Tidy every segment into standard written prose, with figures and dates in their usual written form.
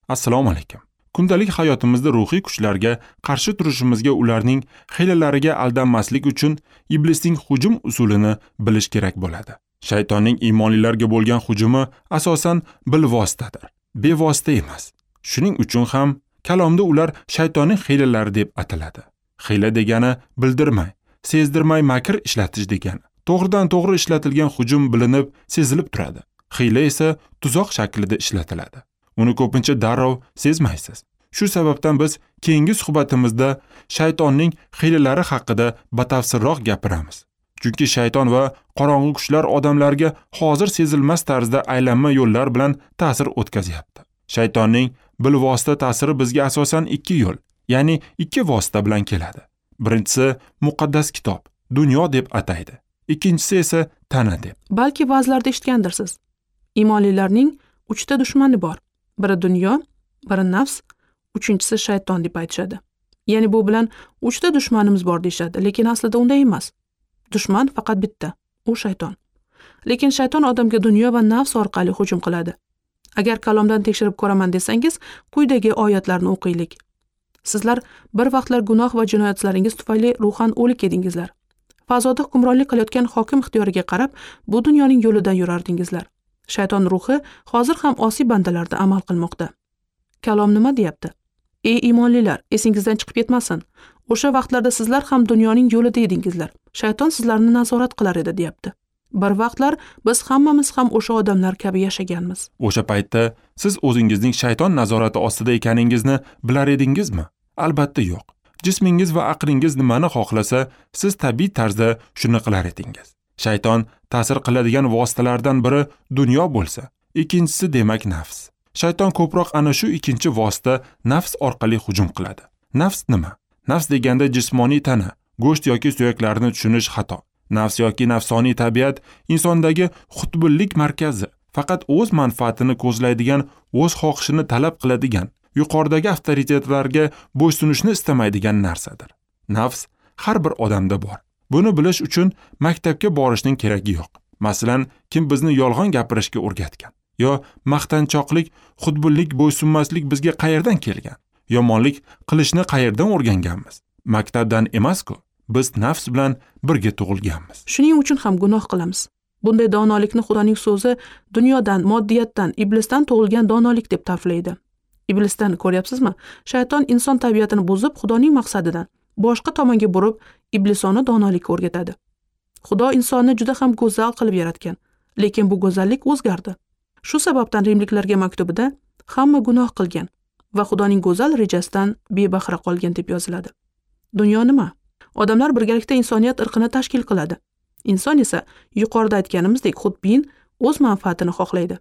Assalomu alaykum. Kundalik hayotimizda ruhiy kuchlarga qarshi turishimizga, ularning hiylalariga aldanmaslik uchun iblisning hujum usulini bilish kerak bo'ladi. Shaytonning iymonlilarga bo'lgan hujumi asosan bilvositadir, bevosita emas. Shuning uchun ham kalomda ular shaytonning hiylalari deb ataladi. Hiyla degani bildirmay, sezdirmay makr ishlatish degani. To'g'ridan to'g'ri ishlatilgan hujum bilinib, sezilib turadi. Hiyla esa tuzoq shaklida ishlatiladi. Uni ko'pincha darrov sezmaysiz. Shu sababdan biz keyingi suhbatimizda shaytonning hiylalari haqida batafsilroq gapiramiz. Chunki shayton va qorong'u kuchlar odamlarga hozir sezilmas tarzda aylanma yo'llar bilan ta'sir o'tkazyapti. Shaytonning bilvosita ta'siri bizga asosan ikki yo'l, ya'ni ikki vosita bilan keladi. Birinchisi muqaddas kitob, dunyo deb ataydi. Ikkinchisi esa tana deb. Balki ba'zilarda eshitgandirsiz. Iymonlilarning 3 ta dushmani bor. Biri dunyo, biri nafs, uchinchisi shayton deb aytishadi. Ya'ni bu bilan 3 ta dushmanimiz bor deyishadi, lekin aslida unday emas. Dushman faqat bitta, u shayton. Lekin shayton odamga dunyo va nafs orqali hujum qiladi. Agar kalomdan tekshirib ko'raman desangiz, quyidagi oyatlarni o'qiylik. Sizlar bir vaqtlar gunoh va jinoyatlaringiz tufayli ruhan o'lik edingizlar. Fazoda hukmronlik qilayotgan hokim ixtiyoriga qarab, bu dunyoning yo'lidan yurardingizlar. Shayton ruhi hozir ham osiy bandalarda amal qilmoqda. Kalom nima deyapti? Ey iymonlilar, esingizdan chiqib ketmasin. O'sha vaqtlarda sizlar ham dunyoning yo'lida edingizlar. Shayton sizlarni nazorat qilar edi deyapti. Bir vaqtlar biz hammamiz ham o'sha odamlar kabi yashaganmiz. O'sha paytda siz o'zingizning shayton nazorati ostida ekaningizni bilar edingizmi? Albatta yo'q. Jismingiz va aqlingiz nimani xohlasa, siz tabiiy tarzda shuni qilar edingiz. Shayton ta'sir qiladigan vositalardan biri dunyo bo'lsa, ikkinchisi demak nafs. Shayton ko'proq ana shu ikkinchi vosita nafs orqali hujum qiladi. Nafs nima? Nafs deganda jismoniy tana, go'sht yoki suyaklarni tushunish xato. Nafs yoki nafsoniy tabiat insondagi xudbinlik markazi, faqat o'z manfaatini ko'zlaydigan, o'z xohishini talab qiladigan, yuqoridagi avtoritetlarga bo'ysunishni istamaydigan narsadir. Nafs har bir odamda bor. Buni bilish uchun maktabga borishning keragi yo'q. Masalan, kim bizni yolg'on gapirishga o'rgatgan? Yo maqtanchoqlik, xudbinlik, bo'ysunmaslik bizga qayerdan kelgan? Yomonlik qilishni qayerdan o'rganganmiz? Maktabdan emas-ku. Biz nafs bilan birga tug'ilganmiz. Shuning uchun ham gunoh qilamiz. Bunday donolikni Xudoning so'zi dunyodan, moddiyatdan, iblisdan tug'ilgan donolik deb ta'riflaydi. Iblisdan ko'ryapsizmi? Shayton inson tabiatini buzib, Xudoning maqsadidan boshqa tomonga burib, iblisona donolikka o'rgatadi. Xudo insonni juda ham go'zal qilib yaratgan, lekin bu go'zallik o'zgardi. Shu sababdan rimliklarga maktubida hamma gunoh qilgan va Xudoning go'zal rejasidan bebahra qolgan deb yoziladi. Dunyo nima? Odamlar birgalikda insoniyat irqini tashkil qiladi. Inson esa yuqorida aytganimizdek xudbin, o'z manfaatini xohlaydi.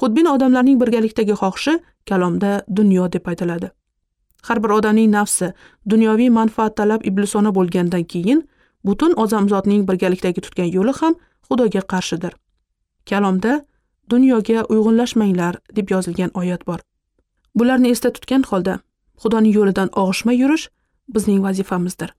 Xudbin odamlarning birgalikdagi xohishi kalomda dunyo deb aytiladi. Har bir odamning nafsi dunyoviy manfaat talab iblisona bo'lgandan keyin butun odamzodning birgalikdagi tutgan yo'li ham Xudoga qarshidir. Kalomda dunyoga uyg'unlashmanglar deb yozilgan oyat bor. Bularni esda tutgan holda Xudoning yo'lidan og'ishmay yurish bizning vazifamizdir.